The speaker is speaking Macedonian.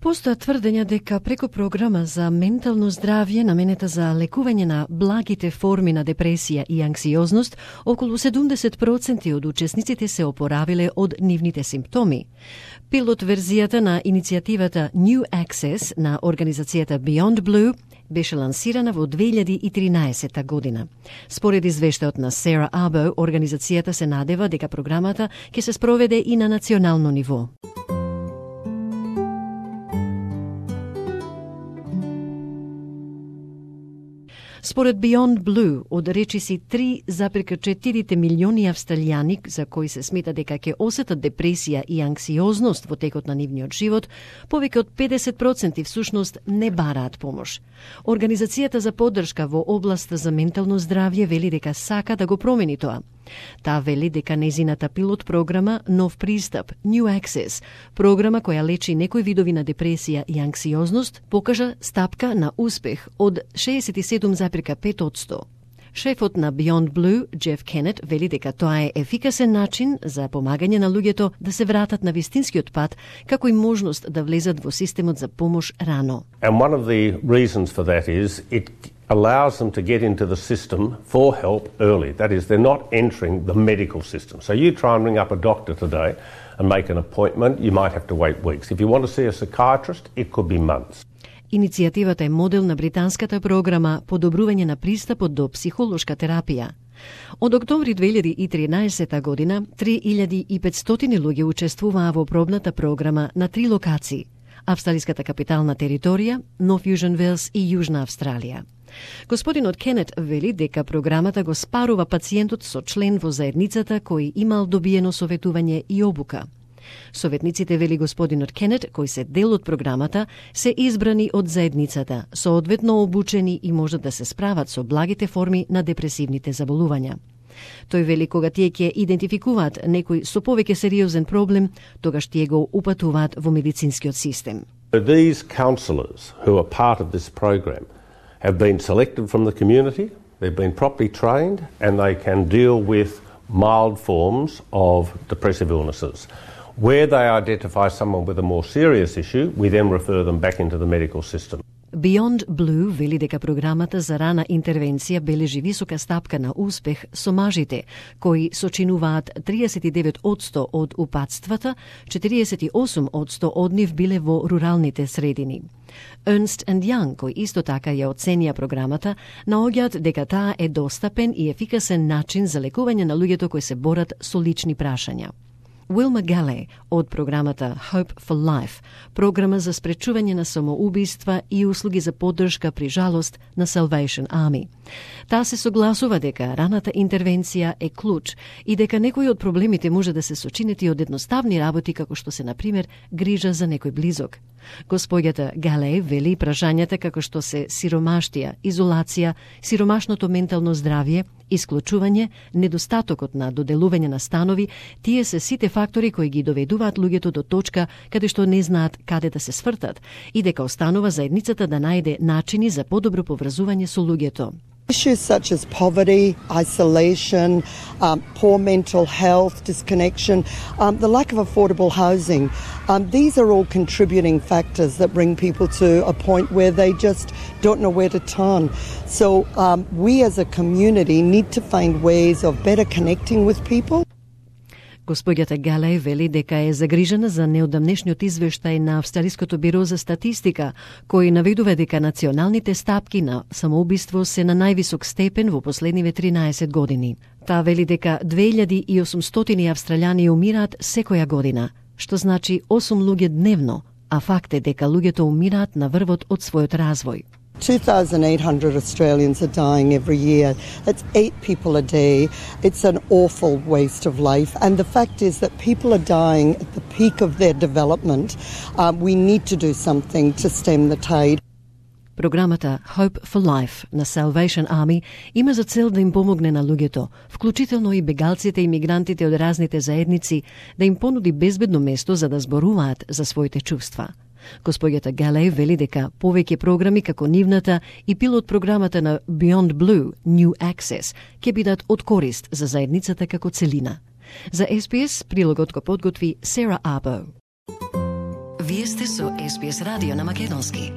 Постојат тврдења дека преку програма за ментално здравје наменета за лекување на благите форми на депресија и анксиозност, околу 70% од учесниците се опоравиле од нивните симптоми. Пилот верзијата на иницијативата New Access на организацијата Beyond Blue беше лансирана во 2013 година. Според извештајот на Sarah Abo, организацијата се надева дека програмата ќе се спроведе и на национално ниво. Според Beyond Blue, од речиси 3,4 милиони австралијани за кои се смета дека ќе осетат депресија и анксиозност во текот на нивниот живот, повеќе од 50% всушност не бараат помош. Организацијата за поддршка во областа за ментално здравје вели дека сака да го промени тоа. Таа вели дека нејзината пилот програма Нов пристап, New Access, програма која лечи некои видови на депресија и анксиозност, покажа стапка на успех од 67,5%. Шефот на Beyond Blue, Jeff Kennett, вели дека тоа е ефикасен начин за помагање на луѓето да се вратат на вистинскиот пат, како и можност да влезат во системот за помош рано. And one of the reasons for that is it allows them to get into the system for help early. That is, they're not entering the medical system. So you try and ring up a doctor today and make an appointment, you might have to wait weeks. If you want to see a psychiatrist, it could be months. Иницијативата е модел на британската програма Подобрување на пристапот до психолошка терапија. Од октомври 2013 година 3500 луѓе учествуваа во пробната програма на 3 локации: австралиската капитална територија, Нов Јужен Велс и Јужна Австралија. Господинот Кенет вели дека програмата го спарува пациентот со член во заедницата кој имал добиено советување и обука. Советниците, вели господинот Кенет, кои се дел од програмата, се избрани од заедницата, соодветно обучени и можат да се справат со благите форми на депресивните заболувања. Тој вели кога тие ќе идентификуваат некој со повеќе сериозен проблем, тогаш тие го упатуваат во медицинскиот систем. These counsellors who are part of this program have been selected from the community, they've been properly trained, and they can deal with mild forms of depressive illnesses. Where they identify someone with a more serious issue, we then refer them back into the medical system. Beyond Blue вели дека програмата за рана интервенција бележи висока стапка на успех со мажите, кои сочинуваат 39% од упатствата, 48% од нив биле во руралните средини. Ernst & Young, кои исто така ја оценија програмата, наоѓаат дека таа е достапен и ефикасен начин за лекување на луѓето кои се борат со лични прашања. Wilma Galley од програмата Hope for Life, програма за спречување на самоубиства и услуги за поддршка при жалост на Salvation Army. Таа се согласува дека раната интервенција е клуч и дека некои од проблемите може да се сочинети од едноставни работи како што се, например, грижа за некој близок. Господјата Галеј вели прашањата како што се сиромаштија, изолација, сиромашното ментално здравје, исклучување, недостатокот на доделување на станови, тие се сите фактори кои ги доведуваат луѓето до точка каде што не знаат каде да се свртат и дека останува заедницата да најде начини за подобро поврзување со луѓето. Issues such as poverty, isolation, poor mental health, disconnection, the lack of affordable housing, these are all contributing factors that bring people to a point where they just don't know where to turn. So we as a community need to find ways of better connecting with people. Господјата Галеј вели дека е загрижена за неодамнешниот извештај на Австралиското биро за статистика, кој наведува дека националните стапки на самоубиство се на највисок степен во последниве 13 години. Таа вели дека 2800 австралијани умираат секоја година, што значи 8 луѓе дневно, а факт е дека луѓето умираат на врвот од својот развој. 2,800 Australians are dying every year. That's 8 people a day. It's an awful waste of life. And the fact is that people are dying at the peak of their development. We need to do something to stem the tide. Програмата Hope for Life на Salvation Army има за цел да им помогне на луѓето, вклучително и бегалците и мигрантите од разните заедници, да им понуди безбедно место за да зборуваат за своите чувства. Господјата Галеј вели дека повеќе програми како нивната и пилот програмата на Beyond Blue, New Access, ќе бидат од корист за заедницата како целина. За SPS прилогот го подготви Sarah Abo. Вие сте со SBS радио на македонски.